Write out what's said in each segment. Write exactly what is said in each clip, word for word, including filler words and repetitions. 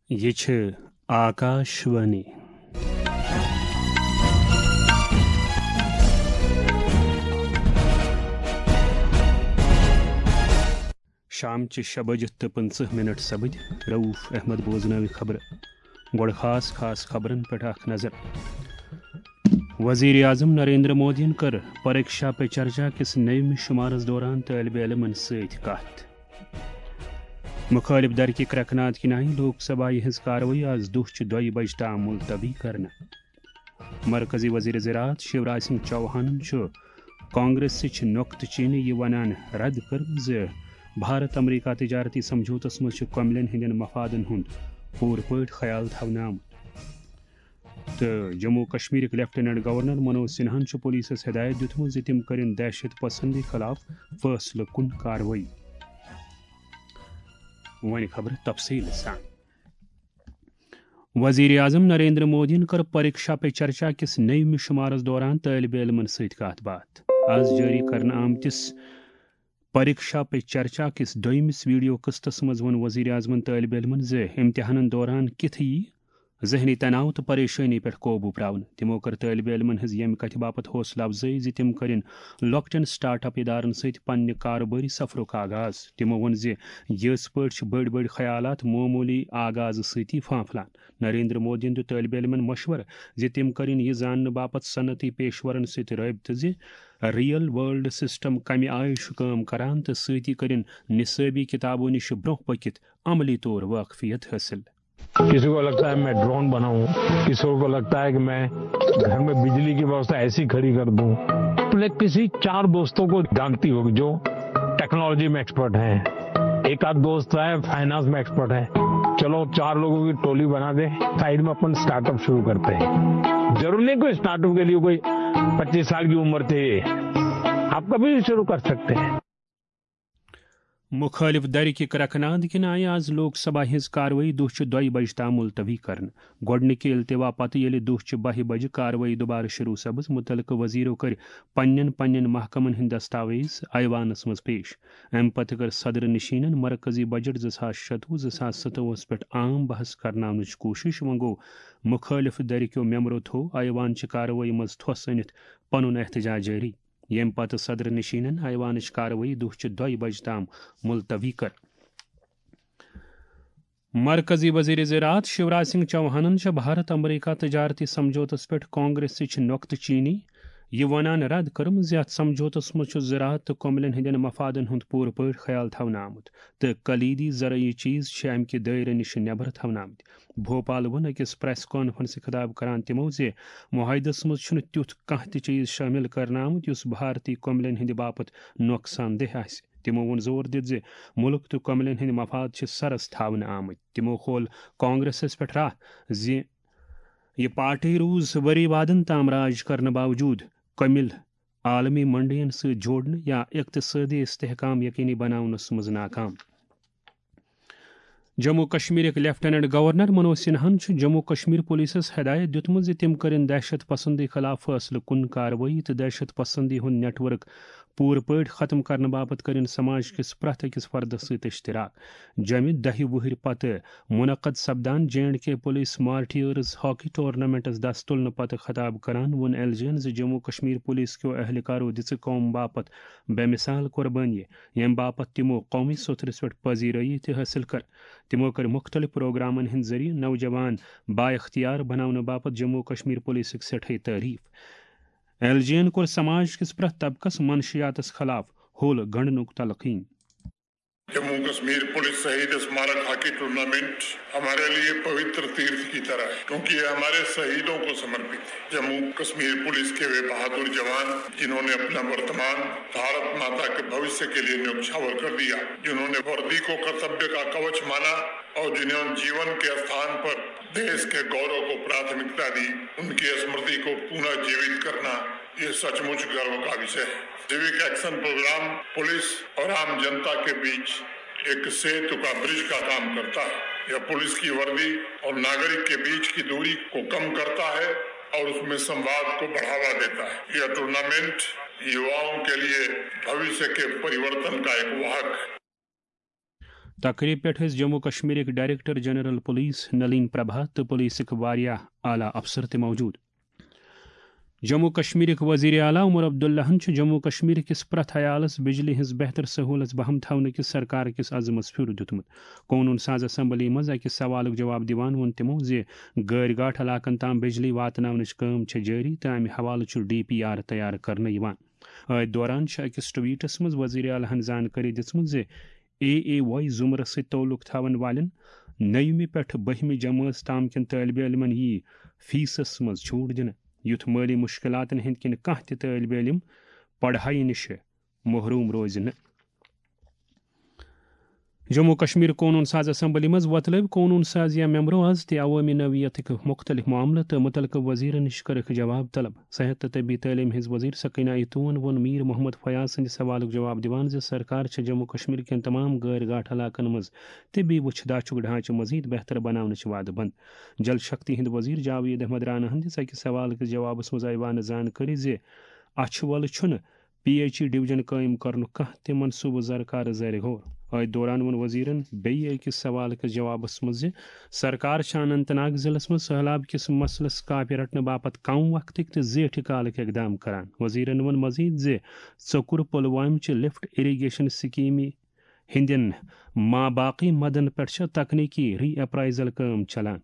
یہِ چھِ آکاشوانی۔ شامچہِ شےٚ بجہِ تہٕ پٕنٛژٕہ مِنٹ سپٕدۍ۔ رؤف احمد بوزناوِ خبرٕ۔ گۄڈٕ خاص خاص خبرن پٮ۪ٹھ اکھ نظر۔ وزیر اعظم نریندر مودیَن کٔر پریکشا پے چرچا کِس نٔومِس شُمارس دوران طٲلبہِ علمن سۭتۍ کتھ۔ مُخٲلِف دھرکہِ کرٛٮ۪کہٕ ناد کِنۍ آیہِ لوک سبھایہِ ہٕنٛز کاروٲیی از دُہچہِ دۄیہِ بجہِ تام ملتوی کرنہٕ۔ مرکزی وزیر زراعت شیوراج سنگھ چوہانن چھُ کانگریسٕچ نۄقطہٕ چینی یہِ ونان رد کٔرمٕژ زِ بھارت امریکہ تجارتی سمجھوتس منٛز چھُ کٔملٮ۪ن ہٕنٛدٮ۪ن مفادن ہُنٛد پوٗرٕ پٲٹھۍ خیال تھاونہٕ آمُت۔ تہٕ جموں کشمیرٕکۍ لیفٹیننٹ گورنر منوج سنہاہن چھُ پولیسس ہدایت دِیُتمُت زِ تِم کٔرِن دہشت پسندی خلاف فٲصلہٕ کُن کاروٲیی۔ وۄنۍ خبرٕ تفصیٖل سان۔ وزیر اعظم نریندر مودیَن کٔر پریکشا پے چرچا کِس نٔیمہِ شُمارس دوران طٲلبہِ علمن سۭتۍ کتھ باتھ۔ از جٲری کرنہٕ آمتِس پریکشا پے چرچا کِس دوٚیمِس ویڈیو قسطس منٛز ووٚن وزیر اعظمن طٲلبہِ علمن زِ امتحانن دوران کِتھ یی ذہنی تناو تہٕ پریشٲنی پٮ۪ٹھ قوبوٗ پراونہٕ۔ تِمو کٔر طٲلبہِ علمن ہٕنٛز ییٚمہِ کتھِ باپتھ حوصلہٕ افزٲیی زِ تِم کٔرِن لۄکٹٮ۪ن سٹارٹ اپ ادارن سۭتۍ پننہِ کارٕبٲری سفرُک آغاز۔ تِمو ووٚن زِ یِتھ پٲٹھۍ چھِ بٔڑۍ بٔڑۍ خیالات معموٗلی آغازٕ سۭتی پھانپھلان۔ نریندر مودیَن دیُت طٲلبہِ علمن مشورٕ زِ تِم کٔرِن یہِ زاننہٕ باپتھ صنعتی پیشورن سۭتۍ رٲبطہٕ زِ ریئل ورلڈ سسٹم کمہِ آیہِ چھُ کٲم کران تہٕ سۭتی کٔرِن نصٲبی کتابو نِش برٛونٛہہ پٔکِتھ عملی طور واقفیت حٲصِل۔ کسی کو لگتا ہے میں ڈرون بناؤں، کسی کو لگتا ہے کہ میں گھر میں بجلی کی ویوستھا ایسی کھڑی کر دوں۔ اپنے کسی چار دوستوں کو جانتی ہوگی جو ٹیکنالوجی میں ایکسپرٹ ہیں، ایک آدھ دوست ہے فائنانس میں ایکسپرٹ ہے، چلو چار لوگوں کی ٹولی بنا دیں، سائیڈ میں اپن اسٹارٹ اپ شروع کرتے ہیں۔ ضرور نہیں کوئی اسٹارٹ اپ کے لیے کوئی پچیس سال کی عمر چاہیے، آپ کبھی بھی شروع کر سکتے ہیں۔ مُخٲلِف دَرِ کہِ کرٛٮ۪کہٕ ناد کِنۍ آیہِ آز لوک سبھا ہٕنٛز کاروٲیی دُہچہِ دۄیہِ بجہِ تام مُلتوی کرنہٕ۔ گۄڈٕنِکہِ التوا پتہٕ ییٚلہِ دُہچہِ بَہہِ بجہِ کاروٲیی دُبارٕ شروع سپٕز، مُتعلقہٕ وزیرو کٔرۍ پننٮ۪ن پننٮ۪ن محکمن ہٕنٛدۍ دستاویز ایوانس منٛز پیش۔ امہِ پتہٕ کٔر صدر نشینن مرکزی بجٹ زٕ ساس شتوُہ زٕ ساس ستوُہس پٮ۪ٹھ عام بحث کرناونٕچ کوٗشش۔ وۄنۍ گوٚو، مُخٲلِف دَرِ کیو ممبرو تھوو ایوان چہِ کاروٲیی منٛز تھوٚس أنِتھ پنُن احتجاج جٲری۔ ییٚمہِ پتہٕ صدر نشینن ایوانٕچ کاروٲیی دُہچہِ دۄیہِ بجہِ تام ملتوی کٔر۔ مرکزی وزیر زراعت شیوراج سنگھ چوہانن چھےٚ بھارت امریکہ تجارتی سمجھوتس پٮ۪ٹھ کانگریسٕچ نۄقطہٕ چینی یہِ ونان رد کٔرمٕژ زِ اتھ سمجھوتس منٛز چھُ زراعت تہٕ کۄملٮ۪ن ہٕنٛدٮ۪ن مفادن ہُنٛد پوٗرٕ پٲٹھۍ خیال تھاونہٕ آمُت تہٕ کلیدی زرعی چیز چھِ امہِ کہِ دٲیرٕ نِش نٮ۪بر تھاونہٕ آمٕتۍ۔ بھوپال ووٚن أکِس پریس کانفرنسہِ خطاب کران تِمو زِ معاہدس منٛز چھُنہٕ تیُتھ کانٛہہ تہِ چیز شٲمِل کرنہٕ آمُت یُس بھارتی کۄملٮ۪ن ہٕنٛدِ باپتھ نۄقصان دہ آسہِ۔ تِمو ووٚن زور دِتھ زِ مُلک تہٕ کۄملٮ۪ن ہٕنٛدۍ مفاد چھِ سرس تھاونہٕ آمٕتۍ۔ تِمو کھول کانگریسس پٮ۪ٹھ راہ زِ یہِ پارٹی روٗز ؤری وادن تام راج کرنہٕ باوجوٗد کۄمِل عالمی منڈین سۭتۍ جوڑنہٕ یا اقتصٲدی استحکام یقینی بناونس منٛز ناکام۔ جموں کشمیرٕکۍ لیفٹیننٹ گورنر منوج سنہاہن چھُ جموں کشمیر پولیسس ہدایت دِیُتمُت زِ تِم کٔرِن دہشت پسندی خلاف فٲصلہٕ کُن کاروٲیی تہٕ دہشت پسندی ہُنٛد نیٹ ورک پوٗرٕ پٲٹھۍ ختم کرنہٕ باپتھ کٔرِن سماج کِس پرٛٮ۪تھ أکِس فردس سۭتۍ اشتراک۔ جمہِ دَہہِ وُہٕرۍ پتہٕ منعقد سپدان J and K police martyrs hockey ٹورنامنٹس دس تُلنہٕ پتہٕ خطاب کران ووٚن ایل جی ین زِ جموں کشمیر پولیس کیو اہلکارو دِژٕ قوم باپتھ بے مثال قربٲنی، ییٚمہِ باپتھ تِمو قومی سوٚتھرِس پٮ۪ٹھ پذیرٲیی تہِ حٲصِل کٔر۔ تِمو کٔر مُختٔلِف پروگرامن ہٕنٛدۍ ذٔریعہٕ نوجوان بااختیار بناونہٕ باپتھ جموں کشمیر پولیسٕکۍ سٮ۪ٹھاے تعریف۔ ایل جی ین کوٚر سماج کِس پرٛٮ۪تھ طبقس منشیاتس خلاف ہوٚل گنڈنُک تلقین۔ جموں کشمیر پولیس شہید اسمارک ہاکی ٹورنامنٹ ہمارے لیے پوتر تیرتھ کی طرح ہے، کیونکہ یہ ہمارے شہیدوں کو سمرپت ہے۔ جموں کشمیر پولیس کے وہ بہادر جوان، جنہوں نے اپنا ورتمان بھارت ماتا کے بھوشیہ کے لیے نیوچھاور کر دیا، جنہوں نے وردی کو کرتویہ کا کوچ مانا اور جنہوں نے جیون کے استھان پر دیش کے گورو کو پراتھمکتا دی، ان کی स्मृति को पुनः जीवित करना, ये सचमुच गर्व का विषय है। सिविक एक्शन प्रोग्राम पुलिस और आम जनता के बीच एक सेतु का, ब्रिज का काम करता है। यह पुलिस की वर्दी और नागरिक के बीच की दूरी को कम करता है और उसमें संवाद को बढ़ावा देता है। यह टूर्नामेंट युवाओं के लिए भविष्य के परिवर्तन का एक वाहक है। تقریب پٮ۪ٹھ ٲسۍ Jammu کشمیرٕکۍ director general police Nalin Prabha تہٕ پولیسٕکۍ واریاہ اعلیٰ افسر تہِ موجود۔ جموں کشمیرٕکۍ وزیر اعلیٰ عمر عبداللہن چھُ جموں کشمیر کِس پرٛٮ۪تھ عیالس بجلی ہٕنٛز بہتر سہولت بہم تھاونہٕ کِس عزمس پھیُر دیُتمُت۔ قونوٗن ساز اسمبلی منٛز أکِس سوالُک جواب دِوان ووٚن تِمو زِ گٲرۍ گاٹھ علاقن تام بجلی واتناونٕچ کٲم چھےٚ جٲری تہٕ امہِ حوالہٕ چھُ ڈی پی آر تیار کرنہٕ یِوان۔ أتھۍ دوران چھِ أکِس ٹویٹس منٛز وزیر اعلیٰ ہن زانکٲری دِژمٕژ زِ اے اے واے زمرس سۭتۍ تعلق تھاون والٮ۪ن نٔیمہِ پٮ۪ٹھ بٔہمہِ جمٲژ تام کٮ۪ن طٲلبہِ علمن یِیہِ فیسس منٛز چھوٹ دِنہٕ، یُتھ مٲلی مُشکلاتن ہٕنٛدۍ کِنۍ کانٛہہ تہِ طٲلبہِ علم پڑھایہِ نِش محروم روزِ نہٕ۔ جموں کشمیر قونوٗن ساز اسمبلی منٛز وۄتلٲوۍ قونوٗن ساز یا ممبرو آز تہِ عوٲمی نوعیتٕکۍ مُختٔلِف معاملہٕ تہٕ مُتعلقہٕ وزیرن نِش کٔرٕکھ جواب طلب۔ صحت تہٕ طبی تعلیٖم ہٕنٛز وزیر سکینہ ایتون ووٚن میر محمد فیاض سٕنٛدِ سوالُک جواب دِوان زِ سرکار چھےٚ جموں کشمیر کٮ۪ن تمام غٲر گاٹھ علاقن منٛز طبی وُچھ داچھُک ڈھانچہٕ مزید بہتر بناونٕچ وعدٕ بنٛد۔ جل شکتی ہٕنٛدۍ وزیر جاوید احمد رانا ہن دِژ أکِس سوالہٕ کِس جوابس منٛز ایوانس زانکٲری زِ اچھہِ وۄلہٕ چھُنہٕ پی ایچ ای ڈویژن قٲیِم کرنُک کانٛہہ تہِ منصوٗبہٕ زرکار زرِ غور۔ أتھۍ دوران ووٚن وزیرن بیٚیہِ أکِس سوالہٕ کِس جوابس منٛز زِ سرکار چھےٚ اننت ناگ ضلعس منٛز سٔہلاب کِس مسلس کاپہِ رٹنہٕ باپتھ کم وقتٕکۍ تہٕ زیٹھِ کالٕکۍ اقدام کران۔ وزیرن ووٚن مزید زِ ژۄکُر پلوامہِ چہِ لفٹ اریگیشن سکیمہِ ہٕنٛدٮ۪ن ماباقی مدن پٮ۪ٹھ چھےٚ تکنیکی ری اپرائزل کٲم چلان۔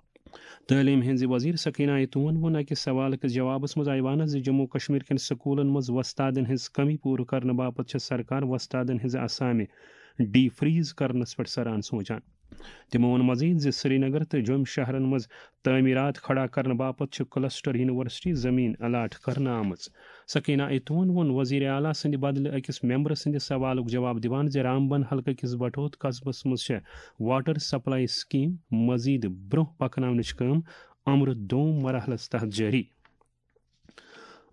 تعلیٖم ہٕنٛزِ وزیر سکینہ ایتون ووٚن أکِس سوالہٕ کِس جوابس منٛز ایوانس زِ جموں کشمیر کٮ۪ن سکوٗلن منٛز وۄستادن ہٕنٛز کمی پوٗرٕ کرنہٕ باپتھ چھےٚ سرکار وۄستادن ہٕنٛزٕ اسامہِ ڈی فریز کرنس پٮ۪ٹھ سران سونچان۔ تِمو ووٚن مزید زِ سرینگر تہٕ جوٚم شہرن منٛز تعمیرات کھڑا کرنہٕ باپتھ چھِ کلسٹر یونیورسٹی زمین الاٹ کرنہٕ آمٕژ۔ سکینہ ایتون ووٚن وزیر اعلیٰ سٕنٛدِ بدلہٕ أکِس ممبر سٕنٛدِ سوالُک جواب دِوان زِ رامبن حلقہٕ کِس بٹھوت قصبس منٛز چھےٚ واٹر سپلائی سکیم مزید برونٛہہ پکناونٕچ کٲم امرُت دوم مرحلس تحت جٲری۔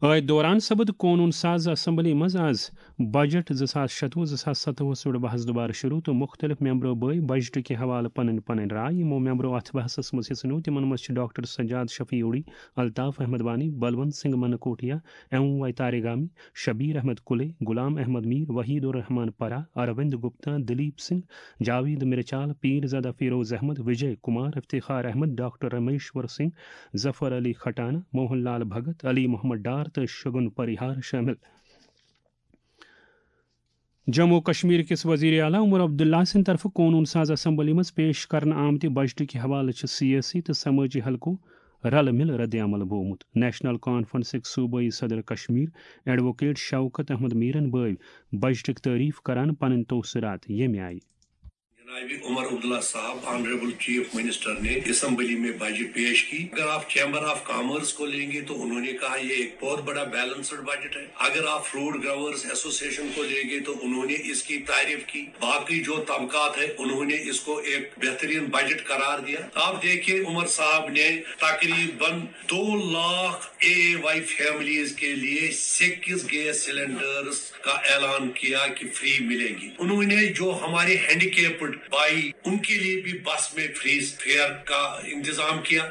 أتھۍ دوران سپُد قونوٗن ساز اسمبلی منٛز آز بجٹ زٕ ساس شتوُہ زٕ ساس ستوُہس پٮ۪ٹھ بحث دوبارٕ شروع تہٕ مُختٔلِف ممبرو بٲوۍ بجٹٕکہِ حوالہٕ پنٕنۍ پنٕنۍ راے۔ یِمو ممبرو اتھ بحثس منٛز حصہٕ نیوٗ، تِمن منٛز چھِ doctor Sajad Shafi Uri, Altaf Ahmad Wani, Balwant Singh Mankotia, M Y Tarigami, Shabir Ahmad Kullay, Ghulam Ahmad Mir, Waheed ur Rehman Parra, Arvind Gupta, Dalip Singh, Javed Mirchal, Pirzada Feroze Ahmad, Vijay Kumar, Iftikhar Ahmad, doctor Rameshwar Singh, Zafar Ali Khatana, Mohan Lal Bhagat, Ali Mohammad Dar تہٕ شگن پریہار شٲمِل۔ جموں و کشمیر کِس وزیر اعلیٰ عمر عبداللہ سٕنٛدِ طرفہٕ قونوٗن ساز اسمبلی منٛز پیش کرنہٕ آمتہِ بجٹٕکہِ حوالہٕ چھِ سیٲسی تہٕ سمٲجی حلقو رلہٕ مِلہٕ رد عمل بوومُت۔ نیشنل کانفرنسٕکۍ صوبٲئی صدر کشمیر ایڈووکیٹ شوکت احمد میرن بٲوۍ بجٹٕکۍ تعریف کران پنٕنۍ توثرات ییٚمہِ آیہِ۔ جناب عمر عبداللہ صاحب، آنریبل چیف منسٹر نے اسمبلی میں بجٹ پیش کی۔ اگر آپ چیمبر آف کامرس کو لیں گے تو انہوں نے کہا یہ ایک بہت بڑا بیلنسڈ بجٹ ہے۔ اگر آپ فروٹ گروورز ایسوسیشن کو لیں گے تو انہوں نے اس کی تعریف کی۔ باقی جو طبقات ہے انہوں نے اس کو ایک بہترین بجٹ قرار دیا۔ آپ دیکھیے عمر صاحب نے تقریباً دو لاکھ اے وائی فیملیز کے لیے سکس گیس سلنڈرز کا اعلان کیا کہ فری ملیں گی۔ انہوں نے جو ہمارے ہینڈیکیپڈ بھائی، ان کے لیے بھی بس میں فری فیئر کا انتظام کیا۔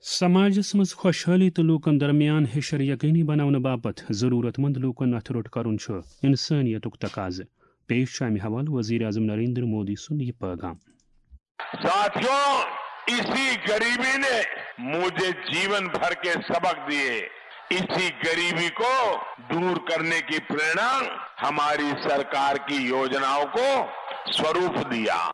سماجس منٛز خۄشحٲلی تہٕ لوٗکن درمیان ہِشر یقینی بناونہٕ باپتھ ضروٗرت مند لوٗکن اَتھٕ روٚٹ کرُن چھُ انسٲنیتُک تقاضہٕ۔ پیش چھُ امہِ حوالہٕ وزیر اعظم نریندر مودی سُنٛد یہِ پٲغام۔ ساتھیوں، اسی غریبی نے مجھے जीवन भर के सबक दिए। इसी गरीबी को दूर करने की प्रेरणा हमारी सरकार की योजनाओं को स्वरूप दिया।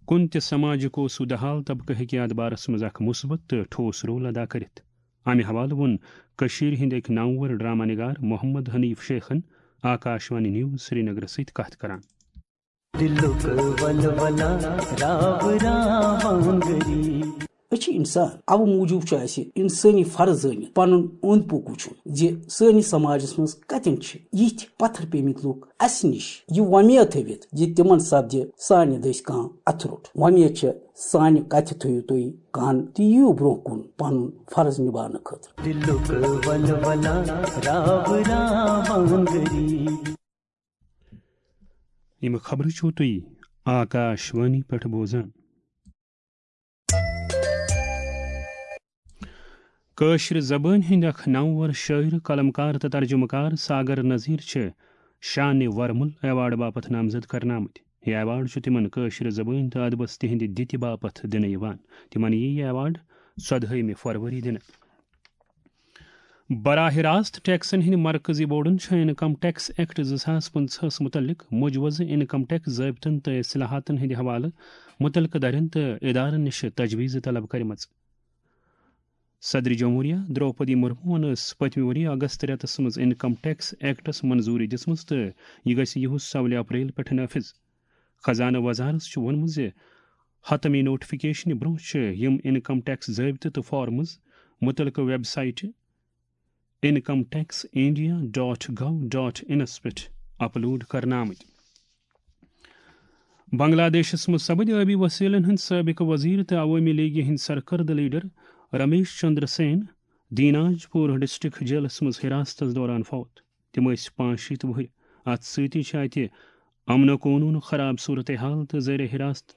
کُنہِ تہِ سماجُک اوس سُہ دہال طبقہٕ ہیٚکہِ اتھ بارس منٛز اکھ مثبت تہٕ ٹھوس رول ادا کٔرِتھ۔ امہِ حوالہٕ ووٚن کٔشیٖرِ ہٕنٛدۍ أکۍ نامور ڈرامہ نگار محمد حنیف شیخن آکاشوانی نیوز سرینگرس سۭتۍ کتھ کران۔ دلُک ولولہ راو راوان غریب۔ أسۍ چھِ انسان، اَوٕ موٗجوٗب چھُ اَسہِ انسٲنی فرض زٲنِتھ پنُن اوٚنٛد پوٚک وٕچھُن زِ سٲنِس سماجس منٛز کتٮ۪ن چھِ یِتھۍ پتھر پیمٕتۍ لُکھ اَسہِ نِش یہِ وۄمید تھٲوِتھ زِ تِمن سپدِ سانہِ دٔسۍ کانٛہہ اَتھٕ روٚٹ۔ وۄمید چھےٚ سانہِ کتھِ تھٲوِو تُہۍ کن تہٕ یِیِو برٛونٛہہ کُن پنُن فرض نِباونہٕ خٲطرٕ۔ دلُک ولولہ راو راوان غریب۔ یِم خبرٕ چھِو تُہۍ آکاش وانی پٮ۪ٹھ بوزان۔ کٲشرِ زبٲنۍ ہٕنٛدۍ اکھ نامور شٲعر، قلمکار تہٕ ترجمہٕ کار ساگر نذیر چھِ شانہِ ورمُل ایوارڈ باپتھ نامزد کرنہٕ آمٕتۍ۔ یہِ ایوارڈ چھُ تِمن کٲشرِ زبٲنۍ تہٕ ادبس تِہنٛدِ دِتہِ باپتھ دِنہٕ یِوان۔ تِمن یی یہِ ایوارڈ ژۄدہٲیمہِ فروری دِنہٕ۔ براہ راست ٹیکسن ہٕنٛدِ مرکزی بورڈن چھےٚ انکم ٹیکس ایکٹ زٕ ساس پٕنٛژٕہس مُتعلق مجوزٕ انکم ٹیکس ضٲبطن تہٕ اصلاحاتن ہٕنٛدِ حوالہٕ مُتعلقہٕ دَرٮ۪ن تہٕ ادارن نِش تجویز طلب کٔرمٕژ۔ صدر جمہوریہ درٛوپدی مرموہن ٲس پٔتمہِ ؤری اگست رٮ۪تس منٛز انکم ٹیکس ایکٹس منظوٗری دِژمٕژ تہٕ یہِ گژھِ یِہُس سولہِ اپریل پٮ۪ٹھ نافذ۔ خزانہٕ وزارت چھُ ووٚنمُت زِ حتمی نوٹیفکیشنہِ برٛونٛہہ چھِ یِم انکم ٹیکس ضٲبطہٕ تہٕ فارمز مُتعلقہٕ ویب سائٹہِ income tax India dot gov dot انس پٮ۪ٹھ اپلوڈ کرنہٕ آمٕتۍ۔ بنگلہ دیشس منٛز سپٕدۍ ٲبی وسیلن ہٕنٛدۍ سٲبقہٕ وزیر تہٕ عوٲمی لیگہِ ہٕنٛدۍ سرکردٕ لیڈر رمیش چندر سین دیناج پور ڈسٹرکٹ جیلس منٛز حراستس دوران فوت۔ تِم ٲسۍ پانٛژھ شیٖتھ وُہٕرۍ۔ اتھ سۭتی چھِ اتہِ امن و قونوٗن خراب صورتحال تہٕ زیر حراست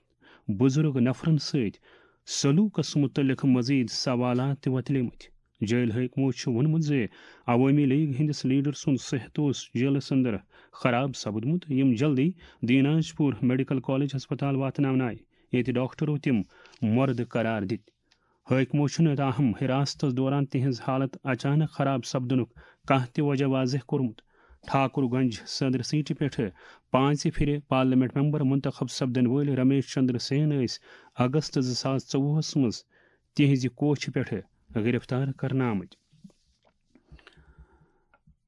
بزرگ نفرن سۭتۍ سلوکس متعلق مزید سوالات تہِ وۄتلیمٕتۍ۔ جیل حٲکمو چھُ ووٚنمُت زِ عوٲمی لیگ ہٕنٛدِس لیڈر سُنٛد صحت اوس جیلس اندر خراب سپدمُت، یِم جلدی دیناج پور میڈیکل کالج ہسپتال واتناونہٕ آیہِ، ییٚتہِ ڈاکٹرو تِم مردٕ قرار دِتۍ۔ حٲکمو چھُنہٕ تاہم حراستس دوران تِہنٛز حالت اچانک خراب سپدنُک کانٛہہ تہِ وجہ واضح کوٚرمُت۔ ٹھاکر گنج صدر سیٹہِ پٮ۪ٹھٕ پانٛژِ پھِرِ پارلیمنٹ ممبر منتخب سپدن وٲلۍ رمیش چندر سین ٲسۍ اگست زٕ ساس ژوٚوُہس منٛز تِہنٛزِ کوٹھِ پٮ۪ٹھٕ گرفتار کرنہٕ آمٕتۍ۔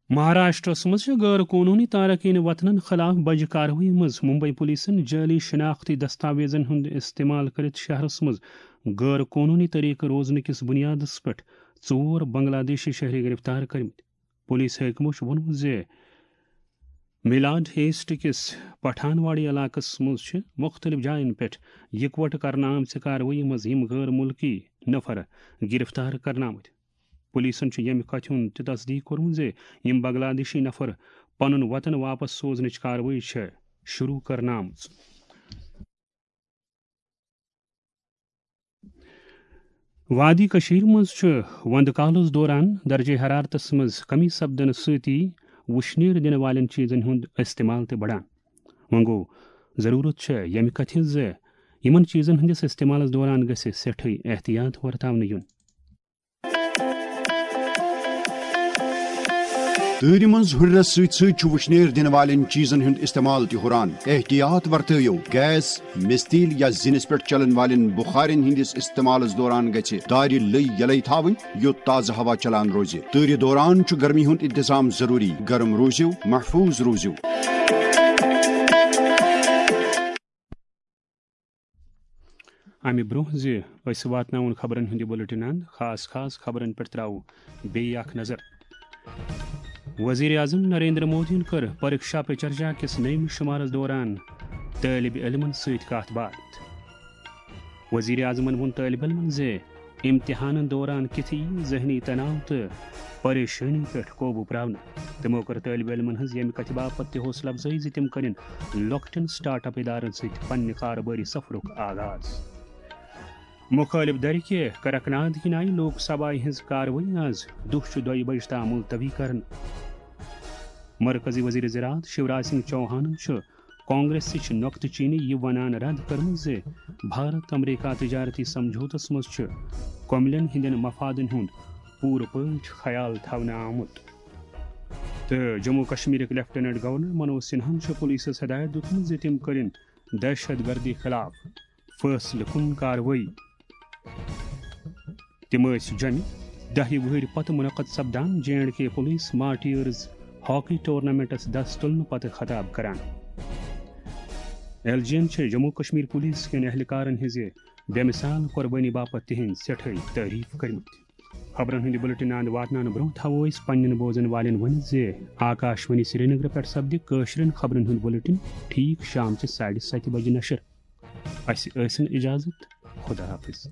مہاراشٹرس منٛز چھِ غٲر قونوٗنی تارکین وطنن خلاف بجہِ کاروٲیی منٛز ممبئی پولیسن جعلی شناختی دستاویزن ہُنٛد استعمال کٔرِتھ شہرس منٛز غٲر قونوٗنی طریقہٕ روزنہٕ کِس بُنیادس پٮ۪ٹھ ژور بنگلہ دیشی شہری گرفتار کٔرمٕتۍ۔ پولیس حٲکمو چھُ ووٚنمُت زِ میلاڈ ایسٹ کِس پٹھانواڑی علاقس منٛز چھِ مُختٔلِف جاین پٮ۪ٹھ یِکوَٹہٕ کرنہٕ آمژِ کاروٲیی منٛز یِم غٲر مُلکی نفر گرفتار کرنہٕ آمٕتۍ۔ پولیسن چھُ ییٚمہِ کتھِ ہُنٛد تہِ تصدیق کوٚرمُت زِ یِم بنگلہ دیشی نفر پنُن وطن واپس سوزنٕچ کاروٲیی چھےٚ شروع کرنہٕ آمٕژ۔ وادی کٔشیٖر منٛز چھُ وندٕ کالَس دوران درجہ حرارتس منٛز کمی سپدنہٕ سۭتی وُشنیر دِنہٕ والٮ۪ن چیٖزن ہُنٛد استعمال تہِ بڑان۔ وۄنۍ گوٚو، ضروٗرت چھےٚ ییٚمہِ کتھِ ہٕنٛز زِ یِمن چیٖزن ہٕنٛدِس استعمالس دوران گژھِ سٮ۪ٹھٕے احتیاط ورتاونہٕ یُن۔ تۭرِ منٛز ہُرٮ۪رس سۭتۍ سۭتۍ چھُ وُشنیر دِنہٕ والٮ۪ن چیٖزن ہُنٛد استعمال تہِ ہُران۔ احتیاط ورتٲیِو، گیس، مِستیٖل یا زِنِس پٮ۪ٹھ چلن والٮ۪ن بُخارٮ۪ن ہٕنٛدِس استعمالس دوران گژھِ دارِ لٔۍ یلے تھاوٕنۍ، یوٚت تازٕ ہوا چلان روزِ۔ تۭرِ دوران چھُ گرمی ہُنٛد انتظام ضروٗری۔ گرم روٗزِو، محفوٗظ روٗزِو۔ امہِ برونٛہہ زِ أسۍ واتناوون خبرن ہُنٛد یہِ بُلٹن اند، خاص خاص خبرن پٮ۪ٹھ ترٛاوو بیٚیہِ اکھ نظر۔ وزیر اعظم نریندر مودیَن کٔر پریکشا پے چرچا کِس نٔیمہِ شُمارس دوران طٲلب علمن سۭتۍ کتھ باتھ۔ وزیر اعظمن ووٚن طٲلب علمن زِ امتحانن دوران کِتھ یِیہِ ذہنی تناو تہٕ پریشٲنی پٮ۪ٹھ قوبوٗ پراونہٕ۔ تِمو کٔر طٲلب علمن ہٕنٛز ییٚمہِ کتھِ باپتھ تہِ حوصلہٕ افزٲیی زِ تِم کٔرِن لۄکٹٮ۪ن سٹارٹ اپ ادارن سۭتۍ پننہِ کارٕبٲری سفرُک آغاز۔ مُخٲلِف دھرِ کہِ کرکناد کِنۍ آیہِ لوک سبھایہِ ہٕنٛز کاروٲیی آز دُہچہِ دۄیہِ بجہِ تام مُلتوی کرنہٕ۔ مرکزی وزیر زراعت شیوراج سنگھ چوہانن چھُ کانگریسٕچ نۄقطہٕ چینی یہِ ونان رد کٔرمٕژ زِ بھارت امریکہ تجارتی سمجھوتس منٛز چھُ کۄملٮ۪ن ہٕنٛدٮ۪ن مفادن ہُنٛد پوٗرٕ پٲٹھۍ خیال تھاونہٕ آمُت۔ تہٕ جموں کشمیرٕکۍ لیفٹیننٹ گورنر منوج سنہاہن چھُ پولیسس ہدایت دیُتمُت زِ تِم کٔرِن دہشت گردی خلاف فٲصلہٕ کُن کاروٲیی۔ تِم ٲسۍ جۄمہِ دَہہِ وُہٕرۍ پتہٕ منعقد سپدان J and K police martyrs hockey ٹورنامنٹس دس تُلنہٕ پتہٕ خطاب کران۔ ایل جی ین چھِ جموں کشمیر پولیس کٮ۪ن اہلکارن ہٕنٛزِ بے مثال قربٲنی باپتھ تِہنٛدۍ سٮ۪ٹھاے تعریف کٔرمٕتۍ۔ خبرن ہُنٛد یہِ بُلٹن اند واتناونہٕ برونٛہہ تھاوو أسۍ پننٮ۪ن بوزن والٮ۪ن ؤنِتھ زِ آکاشوانی سرینگر پٮ۪ٹھ سپدِ کٲشرٮ۪ن خبرن ہُنٛد بُلٹن ٹھیٖک شام چہِ ساڑِ ستہِ بجہِ نشر۔ اسہِ ٲسِن اجازت۔ خدا حافظ۔